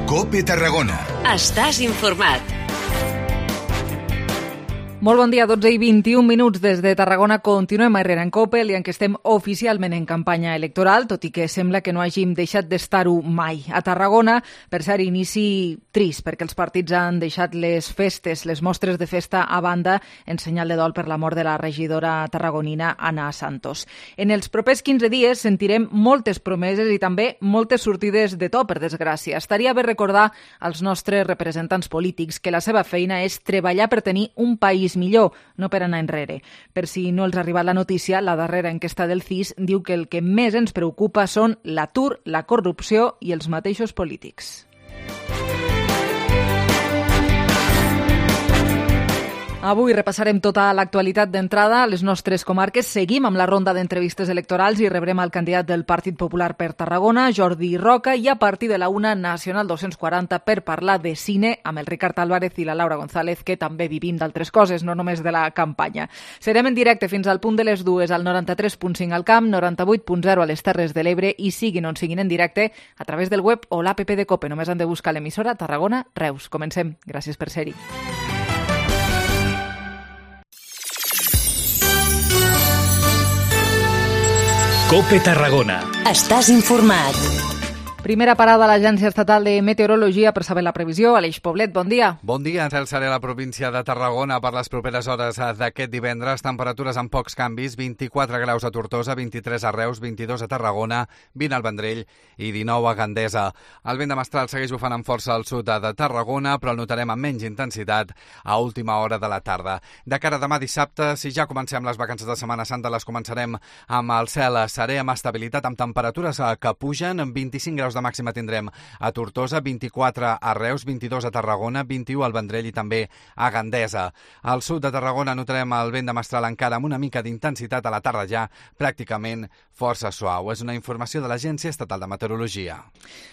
COPE Tarragona. Estàs informat. Molt bon dia, 12 i 21 minuts des de Tarragona. Continuem a Herrera en COPE, el dia en què estem oficialment en campanya electoral, tot i que sembla que no hàgim deixat d'estar-ho mai. A Tarragona, per cert, inici trist, perquè els partits han deixat les festes, les mostres de festa a banda, en senyal de dol per la mort de la regidora tarragonina Ana Santos. En els propers 15 dies sentirem moltes promeses i també moltes sortides de to, per desgràcia. Estaria bé recordar als nostres representants polítics que la seva feina és treballar per tenir un país millor, no per anar enrere. Per si no els ha arribat la notícia, la darrera enquesta del CIS diu que el que més ens preocupa són l'atur, la corrupció i els mateixos polítics. Avui repassarem tota l'actualitat d'entrada a les nostres comarques. Seguim amb la ronda d'entrevistes electorals i rebrem el candidat del Partit Popular per Tarragona, Jordi Roca, i a partir de la 1, Nacional 240, per parlar de cine amb el Ricard Álvarez i la Laura González, que també vivim d'altres coses, no només de la campanya. Serem en directe fins al punt de les 2 al 93.5 al Camp, 98.0 a les Terres de l'Ebre i siguin on siguin en directe a través del web o l'APP de COPE. Només han de buscar l'emissora Tarragona Reus. Comencem. Gràcies per ser-hi. COPE Tarragona. Estàs informat. Primera parada a l'Agència Estatal de Meteorologia per saber la previsió. Aleix Poblet, bon dia. Bon dia, ens seré a la província de Tarragona per les properes hores d'aquest divendres. Temperatures amb pocs canvis, 24 graus a Tortosa, 23 a Reus, 22 a Tarragona, 20 al Vendrell i 19 a Gandesa. El vent de mestral segueix bufant amb força al sud de Tarragona, però el notarem amb menys intensitat a última hora de la tarda. De cara a demà dissabte, si ja comencem les vacances de Setmana Santa, les començarem amb el cel serè, amb estabilitat, amb temperatures que pugen, 25 graus de màxima tindrem a Tortosa, 24 a Reus, 22 a Tarragona, 21 al Vendrell i també a Gandesa. Al sud de Tarragona notarem el vent de mestral encara amb una mica d'intensitat, a la tarda ja pràcticament força suau. És una informació de l'Agència Estatal de Meteorologia.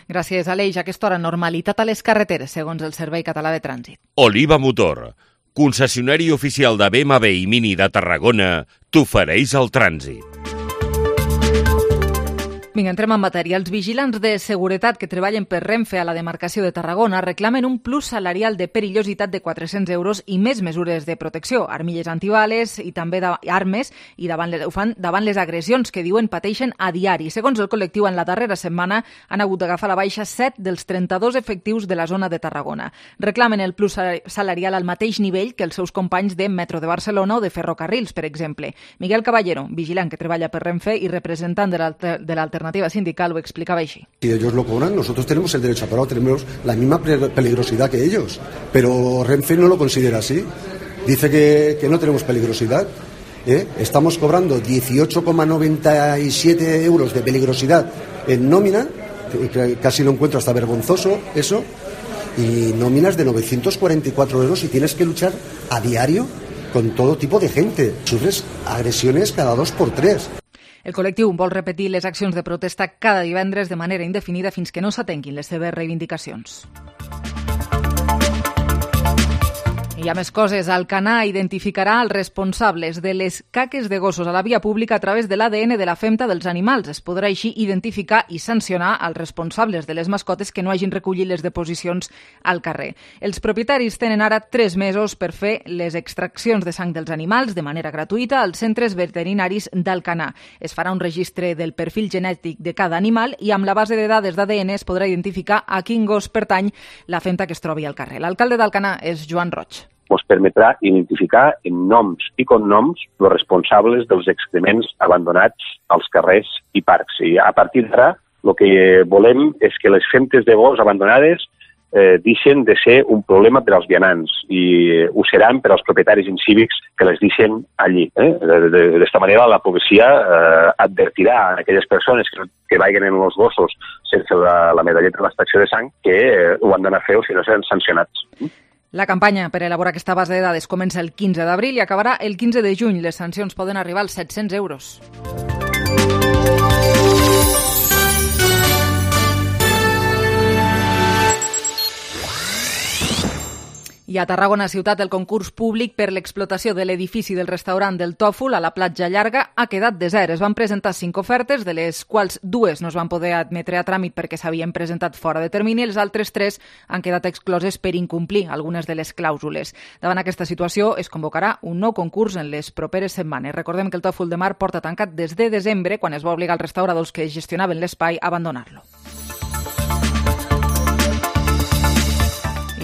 Gràcies, Aleix. A aquesta hora, normalitat a les carreteres, segons el Servei Català de Trànsit. Oliva Motor, concessionari oficial de BMW i Mini de Tarragona, t'ofereix el trànsit. Vinga, entrem en matèria. Els vigilants de seguretat que treballen per Renfe a la demarcació de Tarragona reclamen un plus salarial de perillositat de 400 euros i més mesures de protecció, armilles antibales i també armes, i ho fan davant les agressions que diuen pateixen a diari. Segons el col·lectiu, en la darrera setmana han hagut d'agafar la baixa 7 dels 32 efectius de la zona de Tarragona. Reclamen el plus salarial al mateix nivell que els seus companys de Metro de Barcelona o de Ferrocarrils, per exemple. Miguel Caballero, vigilant que treballa per Renfe i representant de l'alternativa sindical, lo explicaba así. Si ellos lo cobran, nosotros tenemos el derecho a parar, tenemos la misma peligrosidad que ellos, pero Renfe no lo considera así. Dice que no tenemos peligrosidad. Estamos cobrando 18,97 euros de peligrosidad en nómina, casi lo encuentro hasta vergonzoso eso, y nóminas de 944 euros y tienes que luchar a diario con todo tipo de gente. Sufres agresiones cada 2 por 3. El col·lectiu vol repetir les accions de protesta cada divendres de manera indefinida fins que no s'atenguin les seves reivindicacions. Hi ha més coses. Alcanar identificarà els responsables de les caques de gossos a la via pública a través de l'ADN de la femta dels animals. Es podrà així identificar i sancionar els responsables de les mascotes que no hagin recollit les deposicions al carrer. Els propietaris tenen ara 3 mesos per fer les extraccions de sang dels animals de manera gratuïta als centres veterinaris d'Alcanar. Es farà un registre del perfil genètic de cada animal i amb la base de dades d'ADN es podrà identificar a quin gos pertany la femta que es trobi al carrer. L'alcalde d'Alcanar és Joan Roig. Ens permetrà identificar en noms i cognoms els responsables dels excrements abandonats als carrers i parcs. I a partir d'ara, el que volem és que les femtes de gos abandonades deixen de ser un problema per als vianants i ho seran per als propietaris incívics que les deixen allí. D'esta manera, la policia advertirà a aquelles persones que vagin en els gossos sense la medalleta de l'extracció de sang que ho han d'anar a fer o si no seran sancionats. La campanya per elaborar aquesta base de dades comença el 15 d'abril i acabarà el 15 de juny. Les sancions poden arribar als 700 euros. I a Tarragona ciutat el concurs públic per l'explotació de l'edifici del restaurant del Tòfol a la Platja Llarga ha quedat desert. Es van presentar 5 ofertes, de les quals 2 no es van poder admetre a tràmit perquè s'havien presentat fora de termini, les altres 3 han quedat excloses per incomplir algunes de les clàusules. Davant aquesta situació es convocarà un nou concurs en les properes setmanes. Recordem que el Tòfol de Mar porta tancat des de desembre, quan es va obligar als restauradors que gestionaven l'espai a abandonar-lo.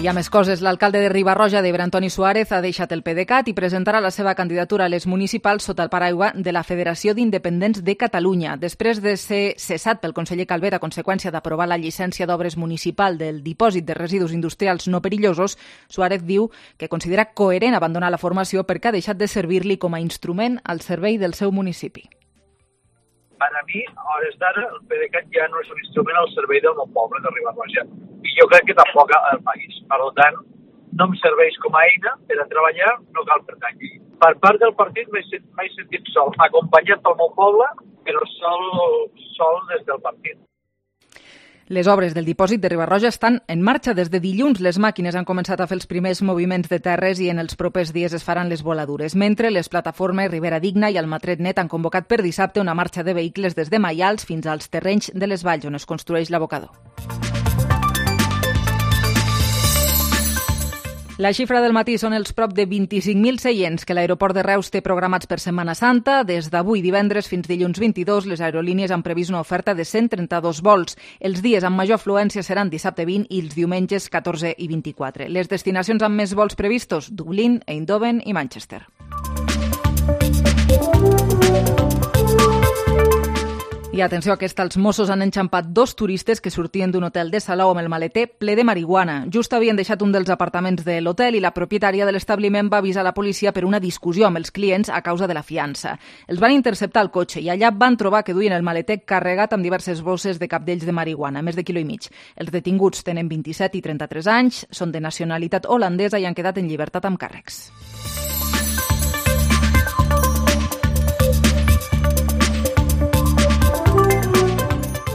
I hi ha més coses. L'alcalde de Riba-roja d'Ebre, Antoni Suárez, ha deixat el PDeCAT i presentarà la seva candidatura a les municipals sota el paraigua de la Federació d'Independents de Catalunya. Després de ser cessat pel conseller Calvet a conseqüència d'aprovar la llicència d'obres municipal del dipòsit de residus industrials no perillosos, Suárez diu que considera coherent abandonar la formació perquè ha deixat de servir-li com a instrument al servei del seu municipi. Per a mi, a hores d'ara, el PDeCAT ja no és un instrument al servei del mon poble de Riba-roja. I jo crec que tampoc al país. Per tant, no em serveix com a eina per a treballar, no cal pertànyer. Per part del partit m'he sentit sol, acompanyat pel meu poble, però sol des del partit. Les obres del dipòsit de Riba-roja estan en marxa des de dilluns. Les màquines han començat a fer els primers moviments de terres i en els propers dies es faran les voladures. Mentre les plataformes Ribera Digna i Almatret Net han convocat per dissabte una marxa de vehicles des de Maials fins als terrenys de les Valls, on es construeix l'abocador. La xifra del matí són els prop de 25.000 seients que l'aeroport de Reus té programats per Setmana Santa. Des d'avui divendres fins dilluns 22, les aerolínies han previst una oferta de 132 vols. Els dies amb major afluència seran dissabte 20 i els diumenges 14 i 24. Les destinacions amb més vols previstos: Dublín, Eindhoven i Manchester. I atenció, els Mossos han enxampat 2 turistes que sortien d'un hotel de Salou amb el maleter ple de marihuana. Just havien deixat un dels apartaments de l'hotel i la propietària de l'establiment va avisar la policia per una discussió amb els clients a causa de la fiança. Els van interceptar al cotxe i allà van trobar que duien el maleter carregat amb diverses bosses de cabdells de marihuana, més de 1,5 quilòmetres. Els detinguts tenen 27 i 33 anys, són de nacionalitat holandesa i han quedat en llibertat amb càrrecs.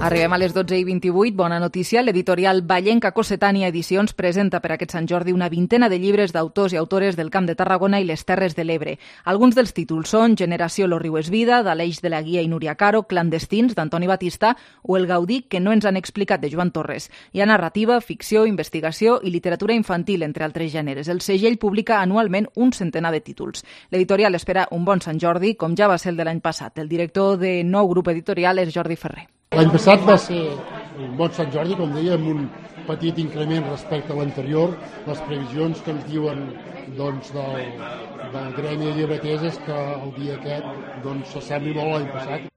Arribem a les 12:28. Bona notícia. L'editorial Vallenca Cossetània Edicions presenta per aquest Sant Jordi una vintena de llibres d'autors i autores del Camp de Tarragona i les Terres de l'Ebre. Alguns dels títols són Generació Lo riu és vida, d'Aleix de la Guia i Núria Caro, Clandestins, d'Antoni Batista, o El Gaudí que no ens han explicat, de Joan Torres. Hi ha narrativa, ficció, investigació i literatura infantil, entre altres gèneres. El segell publica anualment un centenar de títols. L'editorial espera un bon Sant Jordi, com ja va ser el de l'any passat. El director de nou grup editorial és Jordi Ferrer. L'any passat va ser un bon Sant Jordi, com deia, amb un petit increment respecte a l'anterior. Les previsions que ens diuen del gremi de llibreters és que el dia aquest s'assembli molt a l'any passat.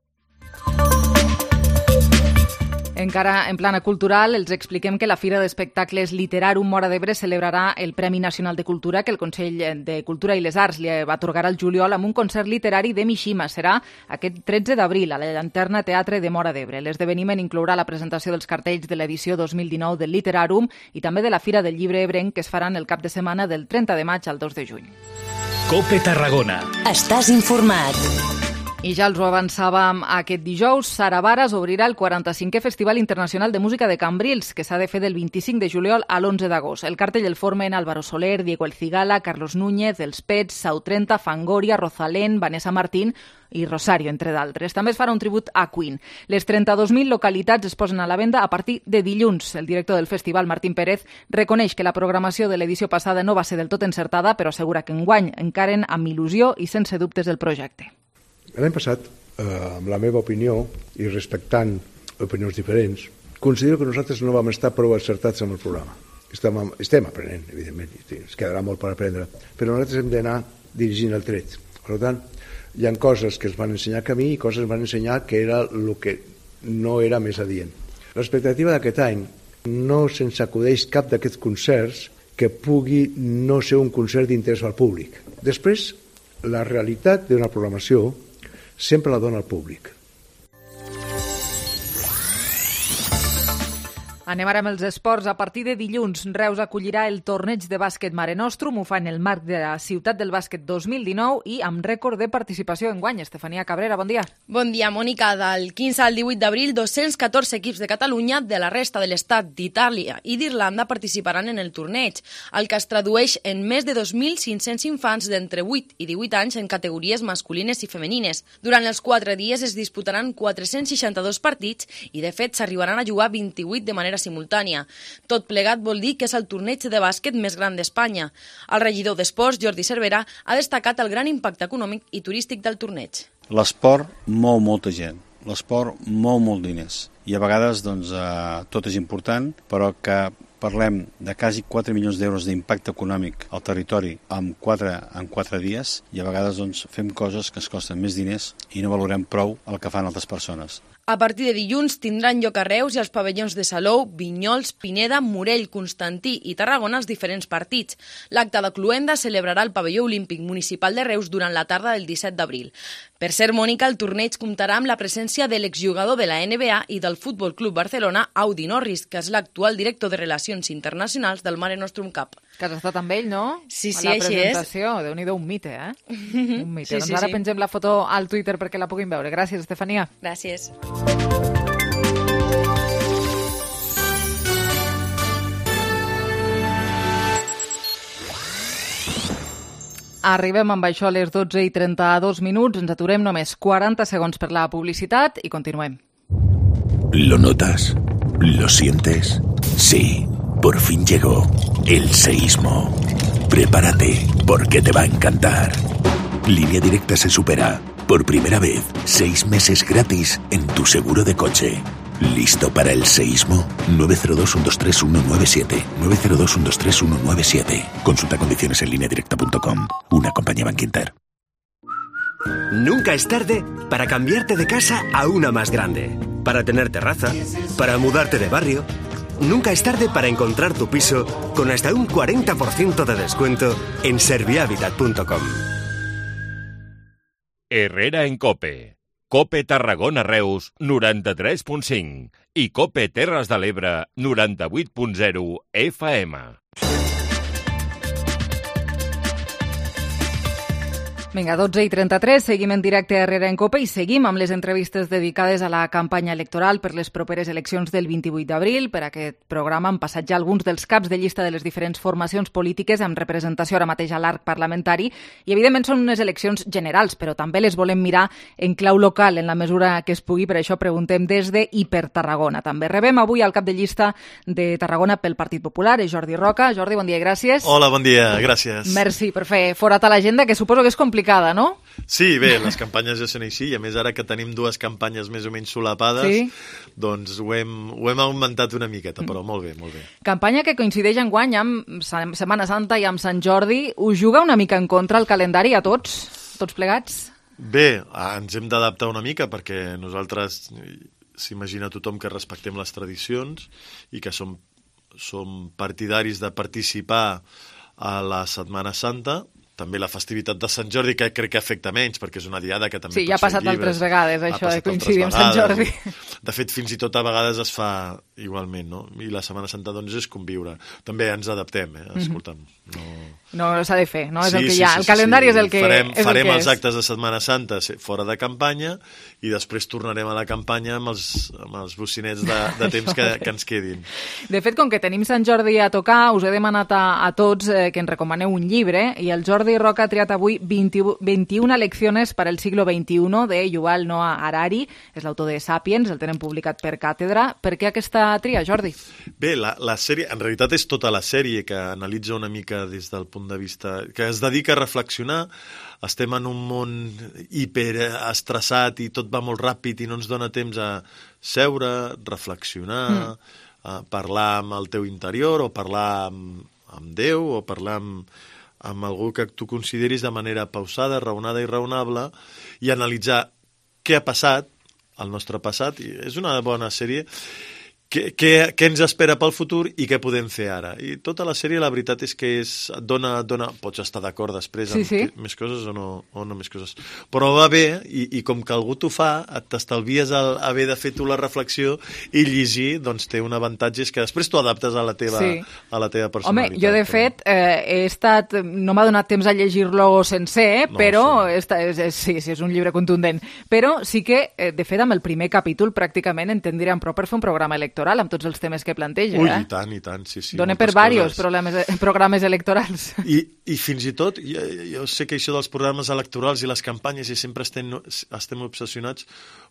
Encara en plana cultural, els expliquem que la Fira d'Espectacles Literarum Móra d'Ebre celebrarà el Premi Nacional de Cultura que el Consell de Cultura i les Arts li va atorgar al juliol amb un concert literari de Mishima. Serà aquest 13 d'abril a la Llanterna Teatre de Móra d'Ebre. L'esdeveniment inclourà la presentació dels cartells de l'edició 2019 del Literarum i també de la Fira del Llibre Ebrenc, que es faran el cap de setmana del 30 de maig al 2 de juny. COPE Tarragona. Estàs informat. I ja els ho avançàvem aquest dijous, Sara Varas obrirà el 45è Festival Internacional de Música de Cambrils, que s'ha de fer del 25 de juliol a l'11 d'agost. El cartell el formen Álvaro Soler, Diego El Cigala, Carlos Núñez, Els Pets, Sau 30, Fangoria, Rosalén, Vanessa Martín i Rosario, entre d'altres. També es farà un tribut a Queen. Les 32.000 localitats es posen a la venda a partir de dilluns. El director del festival, Martín Pérez, reconeix que la programació de l'edició passada no va ser del tot encertada, però assegura que enguany encaren amb il·lusió i sense dubtes el projecte. L'any passat, amb la meva opinió, i respectant opinions diferents, considero que nosaltres no vam estar prou encertats amb el programa. Estem aprenent, evidentment, es quedarà molt per aprendre, però nosaltres hem d'anar dirigint el tret. Per tant, hi ha coses que es van ensenyar a mi i coses es van ensenyar que era el que no era més adient. L'expectativa d'aquest any no se'ns acudeix cap d'aquests concerts que pugui no ser un concert d'interès al públic. Després, la realitat d'una programació sempre la dona al públic. Anem ara amb els esports. A partir de dilluns, Reus acollirà el torneig de bàsquet Mare Nostrum. Ho fa en el marc de la Ciutat del Bàsquet 2019 i amb rècord de participació enguany. Estefania Cabrera, bon dia. Bon dia, Mònica. Del 15 al 18 d'abril, 214 equips de Catalunya, de la resta de l'Estat, d'Itàlia i d'Irlanda participaran en el torneig, el que es tradueix en més de 2.500 infants d'entre 8 i 18 anys en categories masculines i femenines. Durant els 4 dies es disputaran 462 partits i, de fet, s'arribaran a jugar 28 de manera simultània. Tot plegat vol dir que és el torneig de bàsquet més gran d'Espanya. El regidor d'Esports, Jordi Cervera, ha destacat el gran impacte econòmic i turístic del torneig. L'esport mou molta gent, l'esport mou molt diners i a vegades tot és important, però que parlem de quasi 4 milions d'euros d'impacte econòmic al territori en 4 dies i a vegades fem coses que ens costen més diners i no valorem prou el que fan altres persones. A partir de dilluns tindran lloc a Reus i als pavellons de Salou, Vinyols, Pineda, Morell, Constantí i Tarragona els diferents partits. L'acte de cloenda celebrarà el pavelló olímpic municipal de Reus durant la tarda del 17 d'abril. Per ser, Mònica, el torneig comptarà amb la presència de l'exjugador de la NBA i del Futbol Club Barcelona, Audi Norris, que és l'actual director de Relacions Internacionals del Mare Nostrum Cup. Que has estat amb ell, no? Sí, a la així presentació. és. Déu-n'hi-do, un mite, eh? Un mite. Sí, Doncs ara pengem la foto al Twitter perquè la puguin veure. Gràcies, Estefania. Gràcies. Arribem amb això a les 12:32. Ens aturem només 40 segons per la publicitat i continuem. ¿Lo notas? ¿Lo sientes? Sí, por fin llegó el seísmo. Prepárate, porque te va a encantar. Línea Directa se supera. Por primera vez, 6 meses gratis en tu seguro de coche. ¿Listo para el seísmo? 902-123-197. 902-123-197. Consulta condiciones en lineadirecta.com. Una compañía Bankinter. Nunca es tarde para cambiarte de casa a una más grande. Para tener terraza, para mudarte de barrio. Nunca es tarde para encontrar tu piso con hasta un 40% de descuento en servihabitat.com. Herrera en COPE. COPE Tarragona Reus 93.5 i COPE Terres de l'Ebre 98.0 FM. Vinga, 12:33, seguim en directe a Herrera en COPE i seguim amb les entrevistes dedicades a la campanya electoral per les properes eleccions del 28 d'abril. Per aquest programa han passat ja alguns dels caps de llista de les diferents formacions polítiques amb representació ara mateix a l'arc parlamentari i, evidentment, són unes eleccions generals, però també les volem mirar en clau local en la mesura que es pugui. Per això preguntem des de i per Tarragona. També rebem avui al cap de llista de Tarragona pel Partit Popular, és Jordi Roca. Jordi, bon dia i gràcies. Hola, bon dia, gràcies. Merci per fer forat a l'agenda, que suposo que és complicat, no? Sí, bé, les campanyes ja són així, i a més ara que tenim 2 campanyes més o menys solapades, sí, doncs ho hem augmentat una miqueta, però molt bé, molt bé. Campanya que coincideix enguany amb Setmana Santa i amb Sant Jordi. Us juga una mica en contra el calendari a tots plegats? Bé, ens hem d'adaptar una mica perquè nosaltres, s'imagina tothom que respectem les tradicions i que som partidaris de participar a la Setmana Santa. També la festivitat de Sant Jordi, que crec que afecta menys, perquè és una diada que també sí, ja ha passat altres vegades, això de coincidir amb Sant Jordi. De fet, fins i tot a vegades es fa igualment, no? I la Setmana Santa, doncs, és conviure. També ens adaptem, escolta'm. No s'ha de fer, no? És el que hi ha. El calendari és el que és. Farem els actes de Setmana Santa fora de campanya i després tornarem a la campanya amb els bocinets de temps que ens quedin. De fet, com que tenim Sant Jordi a tocar, us he demanat a tots que ens recomaneu un llibre i el Jordi Roca ha triat avui 21 lecciones para el siglo XXI de Yuval Noah Harari. És l'autor de Sapiens, el tenen publicat per Càtedra. Per què aquesta tria, Jordi? Bé, la sèrie, en realitat és tota la sèrie que analitza una mica des del punt de vista, que es dedica a reflexionar. Estem en un món hiperestressat i tot va molt ràpid i no ens dona temps a seure, reflexionar, parlar amb el teu interior o parlar amb Déu o parlar amb algú que tu consideris de manera pausada, raonada i raonable i analitzar què ha passat al nostre passat. I és una bona sèrie què ens espera pel futur i què podem fer ara. I tota la sèrie, la veritat és que et dona... Pots estar d'acord després amb més coses o no més coses. Però va bé, i com que algú t'ho fa, t'estalvies haver de fer tu la reflexió i llegir, doncs té un avantatge, és que després t'ho adaptes a la teva personalitat. Home, jo de fet he estat... No m'ha donat temps a llegir-lo sencer, però sí, és un llibre contundent. Però sí que, de fet, amb el primer capítol pràcticament en tindríem prou per fer un programa electoral amb tots els temes que planteja. Ui, i tant, sí. Dona per diversos programes electorals. I fins i tot, jo sé que això dels programes electorals i les campanyes i sempre estem obsessionats,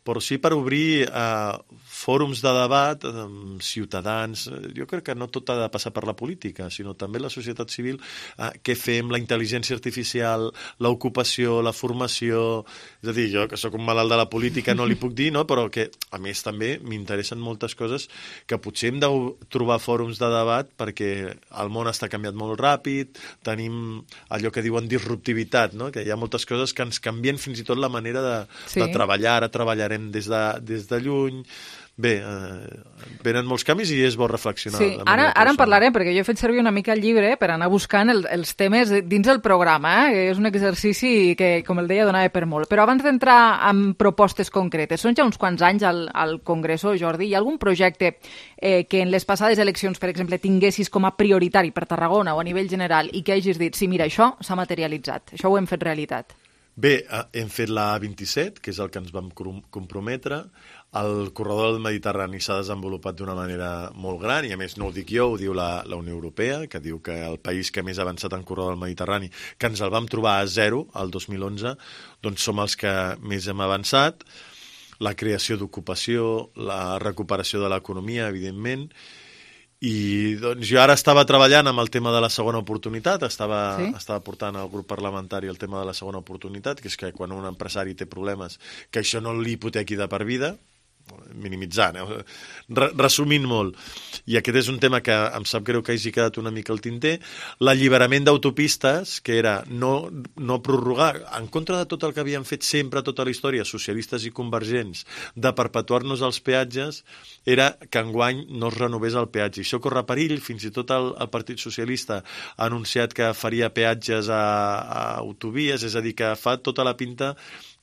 però sí per obrir fòrums de debat amb ciutadans. Jo crec que no tot ha de passar per la política, sinó també la societat civil, què fem, la intel·ligència artificial, l'ocupació, la formació... És a dir, jo que sóc un malalt de la política no li puc dir, no? Però que a més també m'interessen moltes coses que potser hem de trobar fòrums de debat perquè el món està canviat molt ràpid, tenim allò que diuen disruptivitat, no? Que hi ha moltes coses que ens canvien fins i tot la manera de treballar. Ara treballarem des de lluny. Bé, venen molts canvis i és bo reflexionar. Sí, ara en parlarem, perquè jo he fet servir una mica el llibre per anar buscant els temes dins el programa. És un exercici que, com el deia, donava per molt. Però abans d'entrar en propostes concretes, són ja uns quants anys al Congreso, Jordi, hi ha algun projecte que en les passades eleccions, per exemple, tinguessis com a prioritari per Tarragona o a nivell general i que hagis dit, sí, mira, això s'ha materialitzat, això ho hem fet realitat? Bé, hem fet la A27, que és el que ens vam comprometre. El corredor del Mediterrani s'ha desenvolupat d'una manera molt gran, i a més no ho dic jo, ho diu la Unió Europea, que diu que el país que més ha avançat en corredor del Mediterrani, que ens el vam trobar a 0 el 2011, doncs som els que més hem avançat. La creació d'ocupació, la recuperació de l'economia, evidentment. I doncs jo ara estava treballant amb el tema de la segona oportunitat, estava portant al grup parlamentari el tema de la segona oportunitat, que és que quan un empresari té problemes, que això no li hipotequi de per vida, minimitzant, resumint molt. I aquest és un tema que em sap greu que hagi quedat una mica al tinter. L'alliberament d'autopistes, que era no prorrogar, en contra de tot el que havien fet sempre tota la història, socialistes i convergents, de perpetuar-nos els peatges, era que enguany no es renovés el peatge. Això corre perill, fins i tot el Partit Socialista ha anunciat que faria peatges a autovies, és a dir, que fa tota la pinta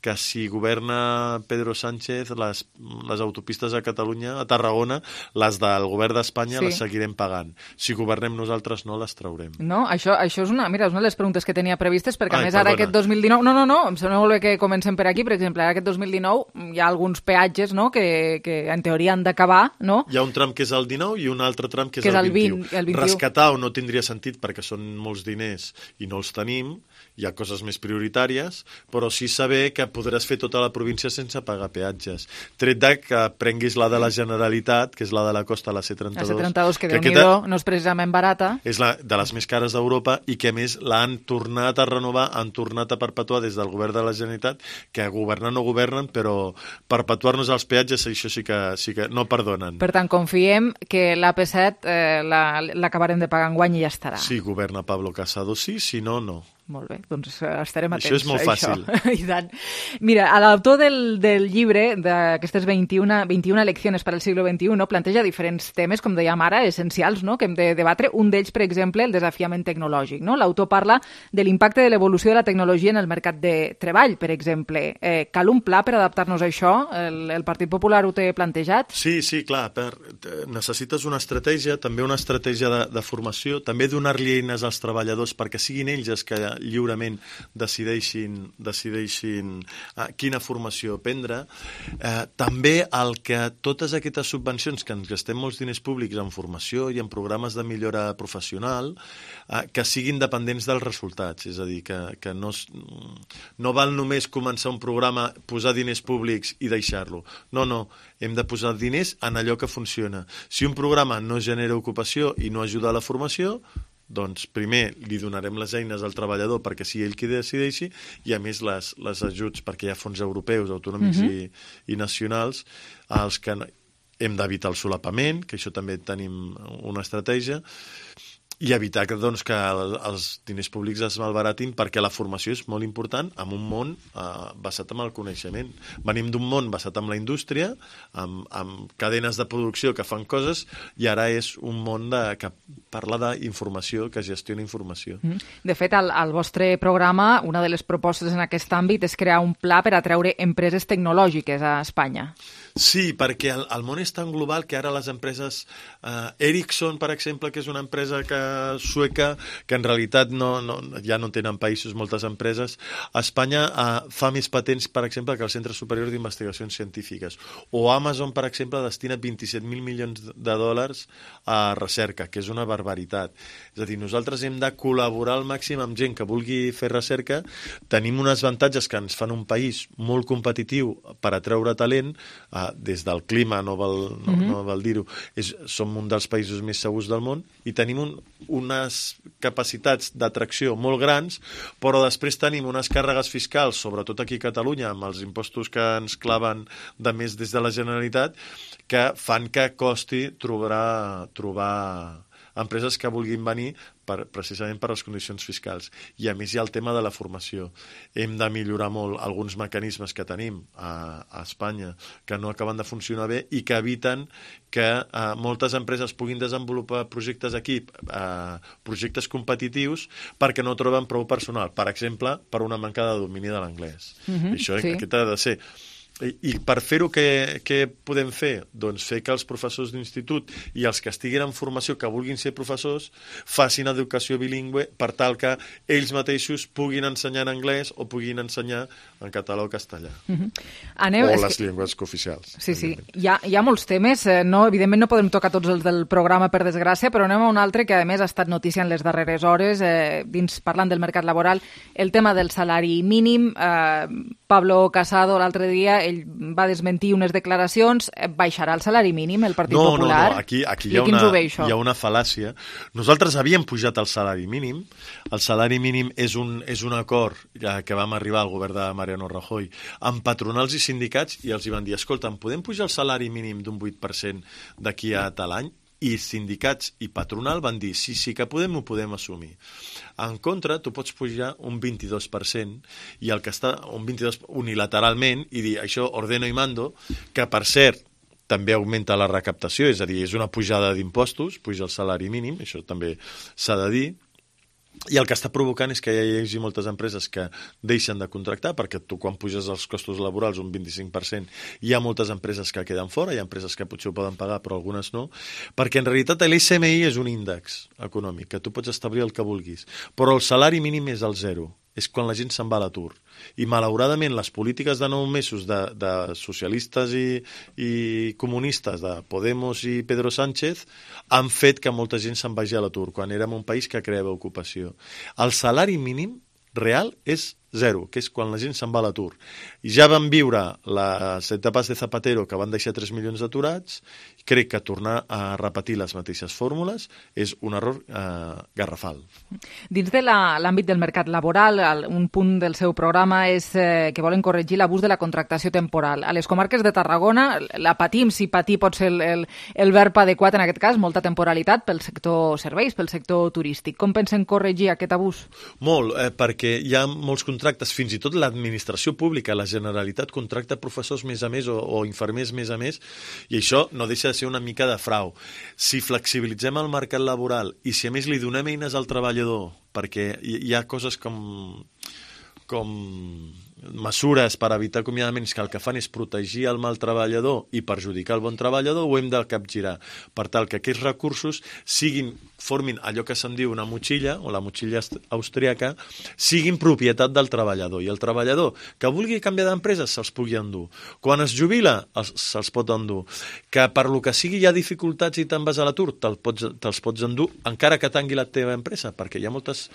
que si governa Pedro Sánchez, les autopistes a Catalunya, a Tarragona, les del govern d'Espanya les seguirem pagant. Si governem nosaltres no les traurem. No, això és una de les preguntes que tenia previstes, perquè a més ara aquest 2019... No, em sembla molt bé que comencem per aquí. Per exemple, ara aquest 2019 hi ha alguns peatges, no?, que en teoria han d'acabar, no? Hi ha un tram que és el 19 i un altre tram que és el 21. Rescatar no tindria sentit perquè són molts diners i no els tenim, hi ha coses més prioritàries, però sí saber que podràs fer tota la província sense pagar peatges. Tret de que prenguis la de la Generalitat, que és la de la costa, la C32. La C32, que Déu-n'hi-do, no és precisament barata. És la de les més cares d'Europa i que, a més, l'han tornat a renovar, han tornat a perpetuar des del govern de la Generalitat, que governar no governen, però perpetuar-nos els peatges, això sí que no perdonen. Per tant, confiem que l'AP7 l'acabarem de pagar enguany i ja estarà. Si governa Pablo Casado, sí, si no, no. Molt bé, doncs estarem atents. Això és molt fàcil. I tant. Mira, l'autor del llibre, d'aquestes 21 eleccions per al segle XXI, planteja diferents temes, com dèiem ara, essencials, no?, que hem de debatre. Un d'ells, per exemple, el desafiament tecnològic, no? L'autor parla de l'impacte de l'evolució de la tecnologia en el mercat de treball, per exemple. Cal un pla per adaptar-nos a això? El Partit Popular ho té plantejat? Sí, clar. Necessites una estratègia, també una estratègia de formació, també donar-li eines als treballadors perquè siguin ells els que lliurement decideixin quina formació prendre. També el que totes aquestes subvencions, que ens gastem molts diners públics en formació i en programes de millora professional, que siguin dependents dels resultats. És a dir, que no val només començar un programa, posar diners públics i deixar-lo. No, hem de posar diners en allò que funciona. Si un programa no genera ocupació i no ajuda a la formació, doncs primer li donarem les eines al treballador perquè sigui ell qui decideixi, i a més les ajuts, perquè hi ha fons europeus, autonòmics i nacionals, als que hem d'evitar el solapament, que això també tenim una estratègia, i evitar que, doncs, que els diners públics es malbaratin, perquè la formació és molt important en un món basat en el coneixement. Venim d'un món basat en la indústria, amb cadenes de producció que fan coses, i ara és un món que parla d'informació, que gestiona informació. De fet, al vostre programa, una de les propostes en aquest àmbit és crear un pla per atreure empreses tecnològiques a Espanya. Sí, perquè el món és tan global que ara les empreses Ericsson, per exemple, que és una empresa sueca, que en realitat ja no tenen països moltes empreses, a Espanya fa més patents, per exemple, que el Centre Superior d'Investigacions Científiques. O Amazon, per exemple, destina 27.000 milions de dòlars a recerca, que és una barbaritat. És a dir, nosaltres hem de col·laborar al màxim amb gent que vulgui fer recerca. Tenim uns avantatges que ens fan un país molt competitiu per atreure talent, des del clima, no val dir-ho, som un dels països més segurs del món i tenim unes capacitats d'atracció molt grans, però després tenim unes càrregues fiscals, sobretot aquí a Catalunya, amb els impostos que ens claven de més des de la Generalitat, que fan que costi trobar empreses que vulguin venir precisament per les condicions fiscals. I a més hi ha el tema de la formació. Hem de millorar molt alguns mecanismes que tenim a Espanya que no acaben de funcionar bé i que eviten que moltes empreses puguin desenvolupar projectes aquí, projectes competitius, perquè no troben prou personal. Per exemple, per una manca de domini de l'anglès. Això aquest ha de ser. I per fer-ho, què podem fer? Doncs fer que els professors d'institut i els que estiguin en formació, que vulguin ser professors, facin educació bilingüe per tal que ells mateixos puguin ensenyar en anglès o puguin ensenyar en català o castellà. O les llengües cooficials. Sí. Hi ha molts temes. Evidentment no podem tocar tots els del programa, per desgràcia, però anem a un altre que, a més, ha estat notícia en les darreres hores, parlant del mercat laboral, el tema del salari mínim. Pablo Casado, l'altre dia, ell va desmentir unes declaracions. Baixarà el salari mínim el Partit Popular? No, aquí hi ha una fal·làcia. Nosaltres havíem pujat el salari mínim. El salari mínim és un acord que vam arribar al govern de Mariano Rajoy amb patronals i sindicats, i els hi van dir, escolta, podem pujar el salari mínim d'un 8% d'aquí a tal any? I sindicats i patronal van dir sí que ho podem assumir. En contra, tu pots pujar un 22% i el que està un 22% unilateralment i dir això ordeno i mando, que per cert també augmenta la recaptació, és a dir, és una pujada d'impostos, puja el salari mínim, això també s'ha de dir. I el que està provocant és que hi hagi moltes empreses que deixen de contractar, perquè tu quan puges els costos laborals un 25% hi ha moltes empreses que queden fora, hi ha empreses que potser ho poden pagar però algunes no, perquè en realitat l'SMI és un índex econòmic, que tu pots establir el que vulguis, però el salari mínim és el 0, és quan la gent se'n va a l'atur. I malauradament les polítiques de 9 mesos de socialistes i comunistes, de Podemos i Pedro Sánchez, han fet que molta gent se'n vagi a l'atur, quan érem un país que creava ocupació. El salari mínim real és 0, que és quan la gent se'n va a l'atur. I ja vam viure les etapes de Zapatero, que van deixar 3 milions d'aturats. Crec que tornar a repetir les mateixes fórmules és un error garrafal. Dins de l'àmbit del mercat laboral, un punt del seu programa és que volen corregir l'abús de la contractació temporal. A les comarques de Tarragona la patim, si patir pot ser el verb adequat en aquest cas, molta temporalitat pel sector serveis, pel sector turístic. Com pensen corregir aquest abús? Molt, perquè hi ha molts contractes, fins i tot l'administració pública, la Generalitat contracta professors més a més o infermers més a més, i això no deixa de ser una mica de frau. Si flexibilitzem el mercat laboral i si a més li donem eines al treballador, perquè hi ha coses com mesures per evitar acomiadaments que el que fan és protegir el mal treballador i perjudicar el bon treballador, ho hem de capgirar per tal que aquests recursos formin allò que se'n diu una motxilla, o la motxilla austríaca, siguin propietat del treballador, i el treballador que vulgui canviar d'empresa se'ls pugui endur. Quan es jubila, se'ls pot endur. Que per lo que sigui hi ha dificultats i te'n vas a l'atur, te'ls pots endur, encara que tangui la teva empresa, perquè hi ha moltes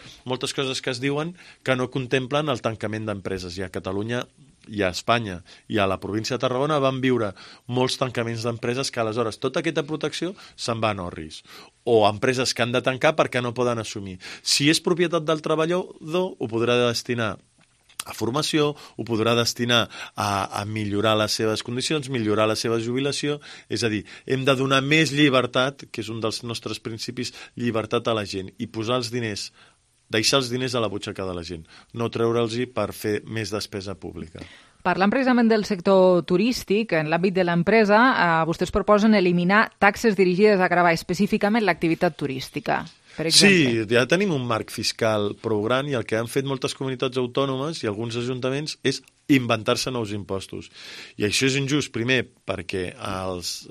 coses que es diuen que no contemplen el tancament d'empreses. I a Catalunya i a Espanya i a la província de Tarragona van viure molts tancaments d'empreses que aleshores tota aquesta protecció se'n va a Norris. O empreses que han de tancar perquè no poden assumir. Si és propietat del treballador, ho podrà destinar a formació, ho podrà destinar a millorar les seves condicions, millorar la seva jubilació, és a dir, hem de donar més llibertat, que és un dels nostres principis, llibertat a la gent, i posar els diners, deixar els diners a la butxaca de la gent, no treure'ls-hi per fer més despesa pública. Parlant precisament del sector turístic, en l'àmbit de l'empresa, vostès proposen eliminar taxes dirigides a gravar específicament l'activitat turística. Sí, ja tenim un marc fiscal prou gran i el que han fet moltes comunitats autònomes i alguns ajuntaments és inventar-se nous impostos. I això és injust, primer, perquè els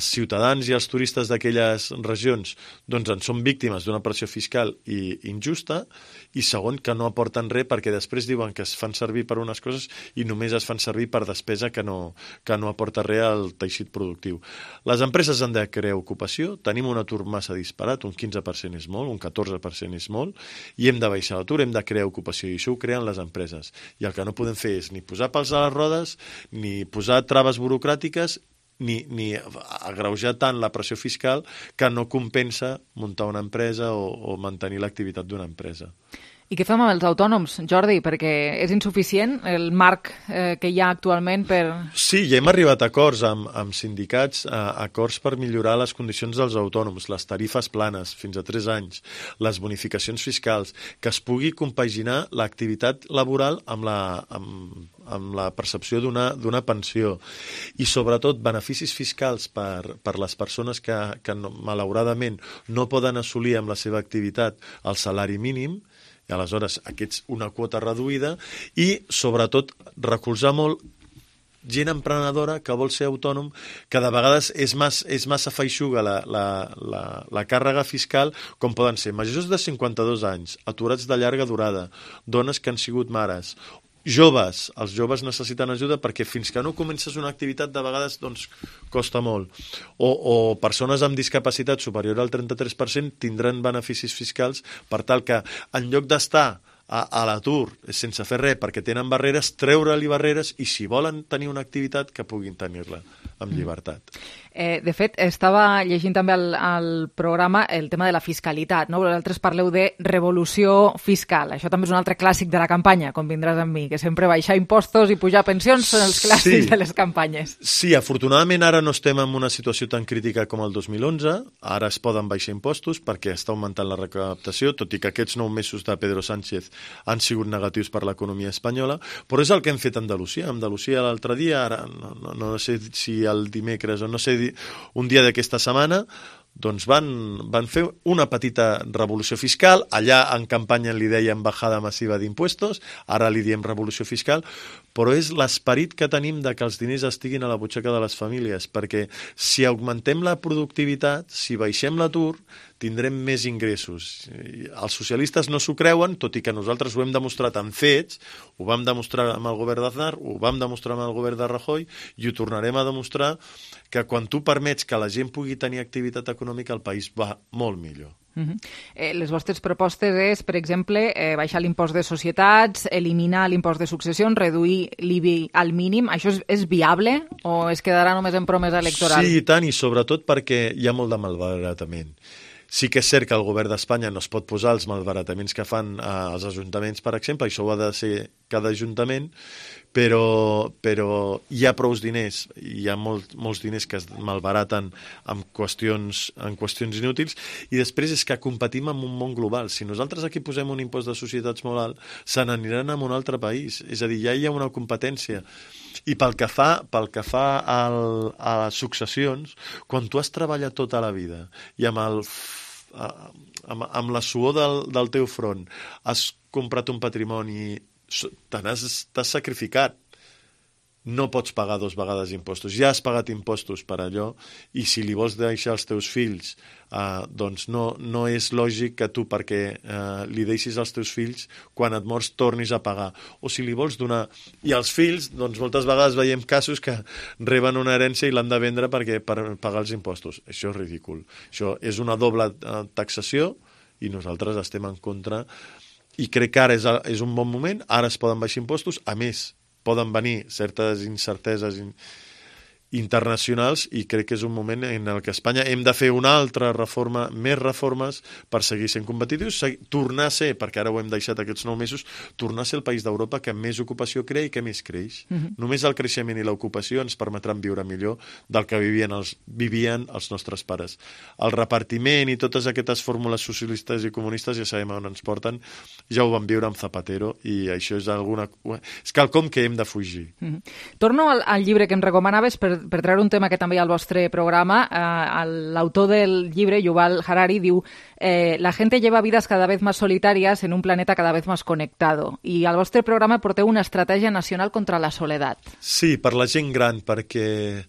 ciutadans i els turistes d'aquelles regions doncs, en són víctimes d'una pressió fiscal injusta, i segon, que no aporten res perquè després diuen que es fan servir per unes coses i només es fan servir per despesa que no aporta res al teixit productiu. Les empreses han de crear ocupació, tenim un atur massa disparat, un 15% és molt, un 14% és molt, i hem de baixar l'atur, hem de crear ocupació, i això ho creen les empreses. I el que no podem fer és ni posar pals a les rodes, ni posar traves burocràtiques, ni agreujar tant la pressió fiscal que no compensa muntar una empresa o mantenir l'activitat d'una empresa. I què fem amb els autònoms, Jordi? Perquè és insuficient el marc que hi ha actualment per... Sí, ja hem arribat a acords amb sindicats, acords per millorar les condicions dels autònoms, les tarifes planes, fins a 3 anys, les bonificacions fiscals, que es pugui compaginar l'activitat laboral amb la percepció d'una pensió, i sobretot beneficis fiscals per les persones que malauradament no poden assolir amb la seva activitat el salari mínim, i aleshores aquests una quota reduïda, i sobretot recolzar molt gent emprenedora que vol ser autònom, que de vegades és massa feixuga la càrrega fiscal, com poden ser majors de 52 anys, aturats de llarga durada, dones que han sigut mares, joves. Els joves necessiten ajuda perquè fins que no comences una activitat de vegades doncs, costa molt. O persones amb discapacitat superior al 33% tindran beneficis fiscals per tal que en lloc d'estar a l'atur sense fer res perquè tenen barreres, treure-li barreres i si volen tenir una activitat que puguin tenir-la amb llibertat. De fet, estava llegint també al programa el tema de la fiscalitat, no? Vosaltres parleu de revolució fiscal. Això també és un altre clàssic de la campanya, convindràs amb mi, que sempre baixar impostos i pujar pensions són els clàssics de les campanyes. Sí, afortunadament ara no estem en una situació tan crítica com el 2011, ara es poden baixar impostos perquè està augmentant la recaptació, tot i que aquests 9 mesos de Pedro Sánchez han sigut negatius per l'economia espanyola, però és el que hem fet a Andalusia. Andalusia l'altre dia, ara no sé si el dimecres o no sé, un dia d'aquesta setmana, doncs van fer una petita revolució fiscal. Allà en campanya li deien bajada massiva d'impuestos, ara li diem revolució fiscal, però és l'esperit que tenim de que els diners estiguin a la butxaca de les famílies, perquè si augmentem la productivitat, si baixem l'atur, tindrem més ingressos. Els socialistes no s'ho creuen, tot i que nosaltres ho hem demostrat en fets, ho vam demostrar amb el govern d'Aznar, ho vam demostrar amb el govern de Rajoy, i ho tornarem a demostrar que quan tu permets que la gent pugui tenir activitat econòmica, el país va molt millor. Les vostres propostes és, per exemple, baixar l'impost de societats, eliminar l'impost de successions, reduir l'IBI al mínim. Això és viable o es quedarà només en promesa electoral? Sí, i tant, i sobretot perquè hi ha molt de malbaratament. Sí que és cert que el govern d'Espanya no es pot posar els malbarataments que fan els ajuntaments, per exemple, això ho ha de ser cada ajuntament, però hi ha prous diners, hi ha molts diners que es malbaraten en qüestions inútils, i després és que competim en un món global. Si nosaltres aquí posem un impost de societats molt alt, se n'aniran a un altre país, és a dir, ja hi ha una competència. I pel que fa a les successions, quan tu has treballat tota la vida i amb la suor del teu front has comprat un patrimoni, t'has sacrificat, no pots pagar 2 vegades impostos. Ja has pagat impostos per allò, i si li vols deixar als teus fills, doncs no és lògic que tu, perquè li deixis als teus fills, quan et mors tornis a pagar. O si li vols donar... I els fills, doncs moltes vegades veiem casos que reben una herència i l'han de vendre per pagar els impostos. Això és ridícul. Això és una doble taxació i nosaltres estem en contra. I crec que ara és un bon moment, ara es poden baixar impostos, a més, poden venir certes incerteses internacionals, i crec que és un moment en el que a Espanya hem de fer una altra reforma, més reformes per seguir sent competitius, tornar a ser, perquè ara ho hem deixat aquests 9 mesos, tornar a ser el país d'Europa que més ocupació crea i que més creix. Només el creixement i l'ocupació ens permetran viure millor del que vivien els nostres pares. El repartiment i totes aquestes fórmules socialistes i comunistes ja sabem on ens porten, ja ho vam viure amb Zapatero, i això és quelcom que hem de fugir. Torno al llibre que em recomanaves per treure un tema que també hi ha al vostre programa. L'autor del llibre, Yuval Harari, diu la gente lleva vidas cada vez más solitarias en un planeta cada vez más conectado. I al vostre programa porteu una estratègia nacional contra la soledat. Sí, per la gent gran, perquè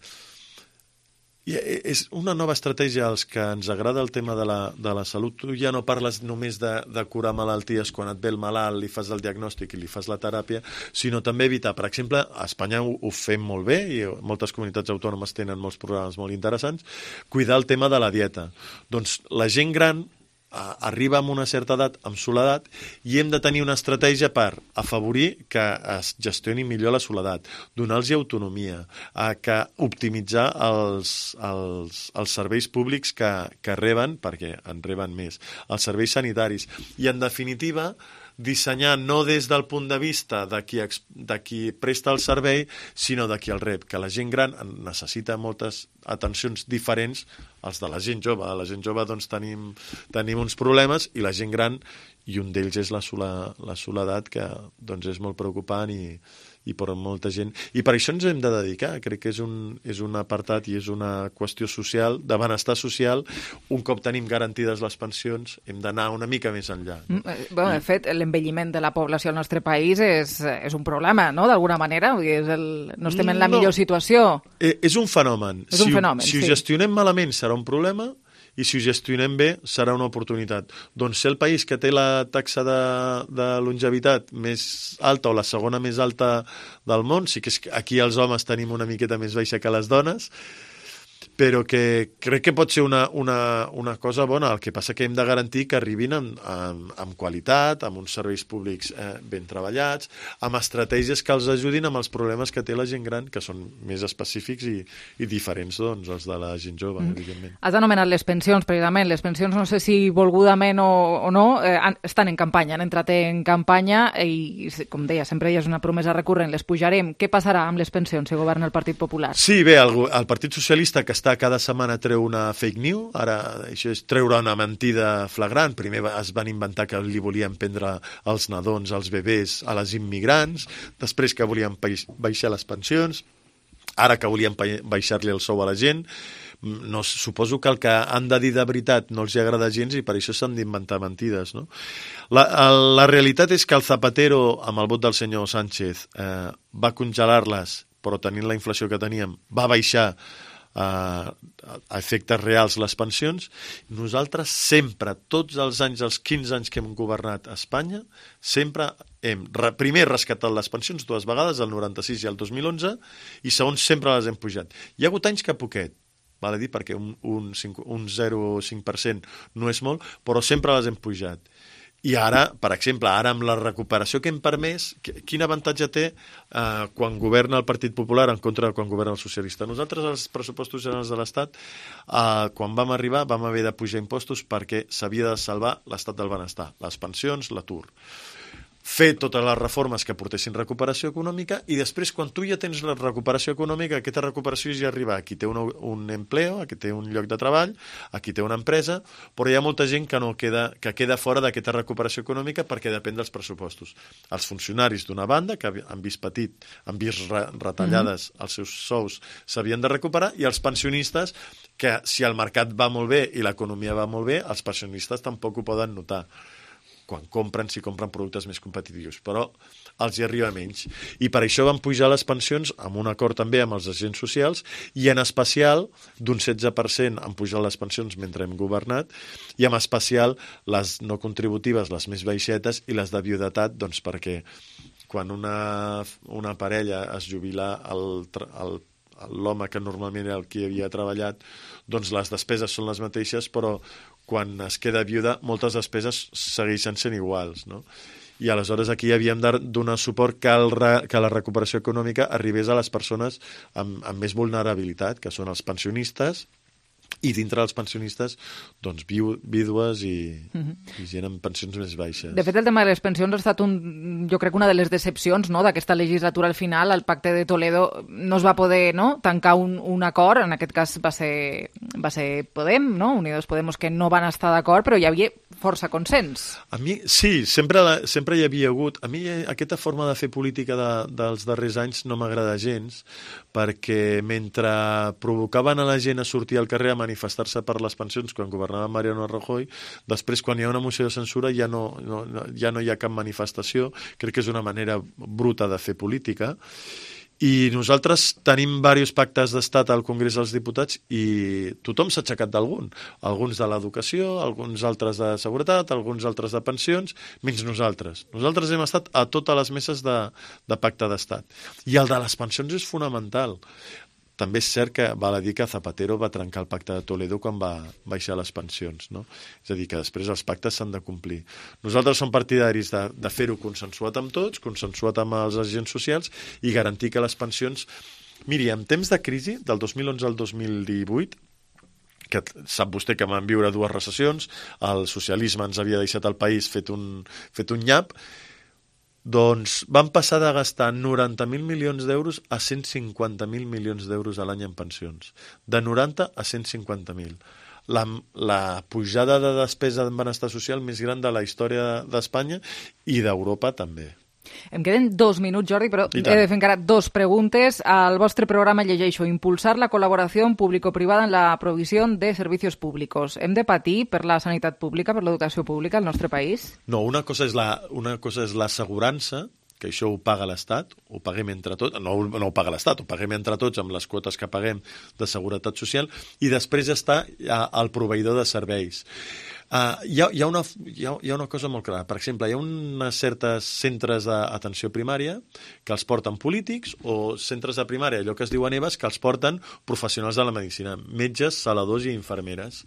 és una nova estratègia als que ens agrada el tema de la salut. Tu ja no parles només de curar malalties quan et ve el malalt, li fas el diagnòstic i li fas la teràpia, sinó també evitar. Per exemple, a Espanya ho fem molt bé i moltes comunitats autònomes tenen molts programes molt interessants, cuidar el tema de la dieta. Doncs la gent gran arriba a una certa edat amb soledat i hem de tenir una estratègia per afavorir que es gestioni millor la soledat, donar-los autonomia, que optimitzar els serveis públics que reben, perquè en reben més, els serveis sanitaris, i en definitiva dissenyar no des del punt de vista de qui presta el servei, sinó de qui el rep, que la gent gran necessita moltes atencions diferents als de la gent jove. A la gent jove doncs, tenim uns problemes, i la gent gran, i un d'ells és la soledat, que doncs, és molt preocupant i per molta gent. I per això ens hem de dedicar. Crec que és un apartat i és una qüestió social, de benestar social. Un cop tenim garantides les pensions, hem d'anar una mica més enllà. De fet, l'envelliment de la població al nostre país és un problema, no?, d'alguna manera. No estem en la millor situació. És un fenomen. És un fenomen, si ho gestionem malament serà un problema, i si ho gestionem bé serà una oportunitat. Doncs ser el país que té la taxa de longevitat més alta o la segona més alta del món, sí que aquí els homes tenim una miqueta més baixa que les dones, però que crec que pot ser una cosa bona. El que passa que hem de garantir que arribin amb qualitat, amb uns serveis públics ben treballats, amb estratègies que els ajudin amb els problemes que té la gent gran, que són més específics i diferents dels de la gent jove, evidentment. Has anomenat les pensions, precisament. Les pensions, no sé si volgudament o no, estan en campanya, han entrat en campanya i, com deia, sempre hi ha una promesa recurrent, les pujarem. Què passarà amb les pensions si governa el Partit Popular? Sí, bé, el Partit Socialista, que cada setmana treu una fake news, ara això és treure una mentida flagrant. Primer es van inventar que li volien prendre els nadons, als bebès, a les immigrants, després que volien baixar les pensions, ara que volien baixar-li el sou a la gent. No, suposo que el que han de dir de veritat no els agrada gens i per això s'han d'inventar mentides, no? La realitat és que el Zapatero, amb el vot del senyor Sánchez, va congelar-les, però tenint la inflació que teníem, va baixar a efectes reals les pensions. Nosaltres sempre, tots els anys, els 15 anys que hem governat a Espanya, sempre hem primer rescatat les pensions 2 vegades, el 96 i el 2011, i segon sempre les hem pujat. Hi ha hagut anys que poquet, val a dir, perquè un 0,5% no és molt, però sempre les hem pujat. I ara, per exemple, amb la recuperació que hem permès, quin avantatge té quan governa el Partit Popular en contra de quan governa el socialista? Nosaltres, els pressupostos generals de l'Estat, quan vam arribar, vam haver de pujar impostos perquè s'havia de salvar l'estat del benestar, les pensions, l'atur. Fer totes les reformes que portessin recuperació econòmica, i després, quan tu ja tens la recuperació econòmica, aquesta recuperació ja arriba a qui té un empleo, a qui té un lloc de treball, a qui té una empresa, però hi ha molta gent que queda fora d'aquesta recuperació econòmica perquè depèn dels pressupostos. Els funcionaris, d'una banda, que han vist retallades els seus sous, s'havien de recuperar, i els pensionistes, que si el mercat va molt bé i l'economia va molt bé, els pensionistes tampoc ho poden notar quan si compren productes més competitius, però els hi arriba menys. I per això van pujar les pensions amb un acord també amb els agents socials, i en especial d'un 16% han pujat les pensions mentre hem governat, i en especial les no contributives, les més baixetes, i les de viudetat, doncs perquè quan una parella es jubila, l'home que normalment era el que havia treballat, doncs les despeses són les mateixes, però quan es queda viuda moltes despeses segueixen sent iguals, no? i aleshores aquí havíem de donar suport que la recuperació econòmica arribés a les persones amb més vulnerabilitat, que són els pensionistes, i dintre dels pensionistes, doncs, vídues i gent amb pensions més baixes. De fet, el tema de les pensions ha estat, jo crec, una de les decepcions, no?, d'aquesta legislatura al final. El pacte de Toledo no es va poder, no?, tancar un acord, en aquest cas va ser Podem, no?, Unidos Podemos, que no van estar d'acord, però hi havia força consens. A mi, sí, sempre hi havia hagut. A mi aquesta forma de fer política dels darrers anys no m'agrada gens, perquè mentre provocaven a la gent a sortir al carrer a manifestar-se per les pensions quan governava Mariano Rajoy, després quan hi ha una moció de censura ja no hi ha cap manifestació. Crec que és una manera bruta de fer política. I nosaltres tenim diversos pactes d'estat al Congrés dels Diputats i tothom s'ha aixecat d'algun. Alguns de l'educació, alguns altres de seguretat, alguns altres de pensions, menys nosaltres. Nosaltres hem estat a totes les meses de pacte d'estat. I el de les pensions és fonamental. També és cert que val a dir que Zapatero va trencar el pacte de Toledo quan va baixar les pensions, no? És a dir, que després els pactes s'han de complir. Nosaltres som partidaris de fer-ho consensuat amb tots, consensuat amb els agents socials i garantir que les pensions... Miri, en temps de crisi, del 2011 al 2018, que sap vostè que vam viure dues recessions, el socialisme ens havia deixat el país fet un nyap, doncs van passar de gastar 90.000 milions d'euros a 150.000 milions d'euros a l'any en pensions. De 90 a 150.000. La pujada de despesa en benestar social més gran de la història d'Espanya i d'Europa també. Em queden 2 minuts, Jordi, però he de fer encara 2 preguntes. Al vostre programa llegeixo: impulsar la col·laboració público-privada en la provisió de servicis públics. Hem de patir per la sanitat pública, per l'educació pública al nostre país? No, una cosa és l'assegurança, que això ho paga l'Estat, ho paguem entre tots, no ho paga l'Estat, ho paguem entre tots amb les quotes que paguem de seguretat social, i després està el proveïdor de serveis. Hi ha una cosa molt clara. Per exemple, hi ha uns certs centres d'atenció primària que els porten polítics, o centres de primària, allò que es diuen EVAs, que els porten professionals de la medicina, metges, saladors i infermeres.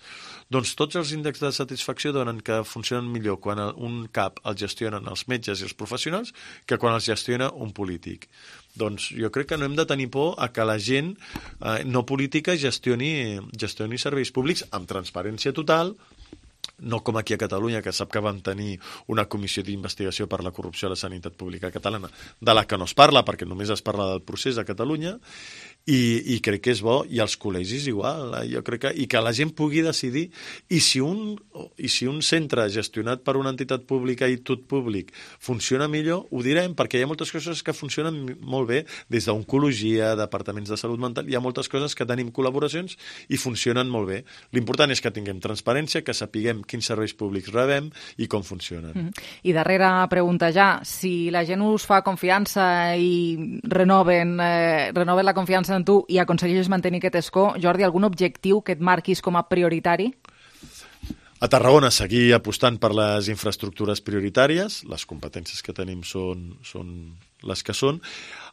Doncs tots els índexs de satisfacció donen que funcionen millor quan un CAP el gestionen els metges i els professionals que quan els gestiona un polític. Doncs jo crec que no hem de tenir por a que la gent no política gestioni serveis públics amb transparència total, no com aquí a Catalunya, que sap que vam tenir una comissió d'investigació per la corrupció a la sanitat pública catalana, de la que no es parla, perquè només es parla del procés a Catalunya, i crec que és bo, i als col·legis igual, jo crec que, i que la gent pugui decidir, i si un centre gestionat per una entitat pública i tot públic funciona millor, ho direm, perquè hi ha moltes coses que funcionen molt bé, des d'oncologia, departaments de salut mental, hi ha moltes coses que tenim col·laboracions i funcionen molt bé. L'important és que tinguem transparència, que sapiguem quins serveis públics rebem i com funcionen. I darrera pregunta ja, si la gent us fa confiança i renoven la confiança en tu i aconsegueixes mantenir aquest escó, Jordi, algun objectiu que et marquis com a prioritari? A Tarragona seguir apostant per les infraestructures prioritàries, les competències que tenim són les que són,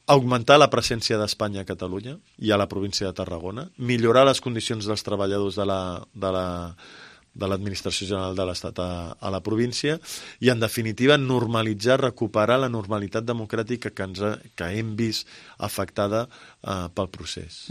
augmentar la presència d'Espanya a Catalunya i a la província de Tarragona, millorar les condicions dels treballadors de l'Administració General de l'Estat a la província i, en definitiva, normalitzar, recuperar la normalitat democràtica que hem vist afectada pel procés.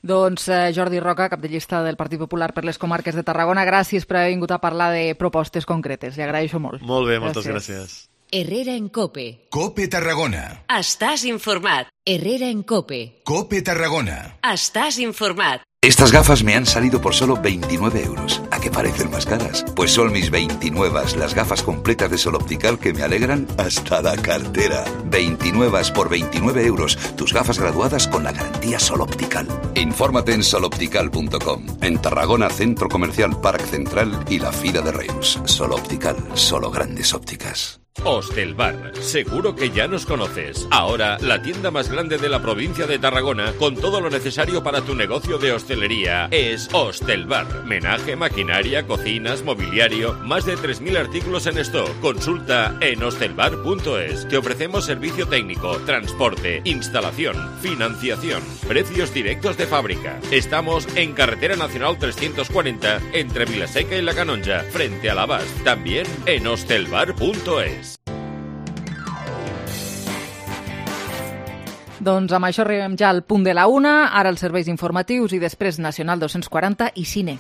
Doncs Jordi Roca, cap de llista del Partit Popular per les comarques de Tarragona, gràcies per haver vingut a parlar de propostes concretes. Li agraeixo molt. Molt bé, moltes gràcies. Herrera en COPE. COPE Tarragona. Estàs informat. Herrera en COPE. COPE Tarragona. Estàs informat. Estas gafas me han salido por solo 29 euros. ¿A qué parecen más caras? Pues son mis 29, las gafas completas de Sol Optical que me alegran hasta la cartera. 29 por 29 euros. Tus gafas graduadas con la garantía Sol Optical. Infórmate en soloptical.com. En Tarragona, Centro Comercial Parc Central y la Fira de Reus. Sol Optical, solo grandes ópticas. Hostelbar, seguro que ya nos conoces. Ahora, la tienda más grande de la provincia de Tarragona, con todo lo necesario para tu negocio de hostelería, es Hostelbar. Menaje, maquinaria, cocinas, mobiliario, más de 3.000 artículos en stock. Consulta en hostelbar.es. Te ofrecemos servicio técnico, transporte, instalación, financiación, precios directos de fábrica. Estamos en Carretera Nacional 340, entre Vilaseca y La Canonja, frente a l'Abast. También en hostelbar.es. Doncs amb això arribem ja al punt de la 1, ara els serveis informatius i després Nacional 240 i Cine.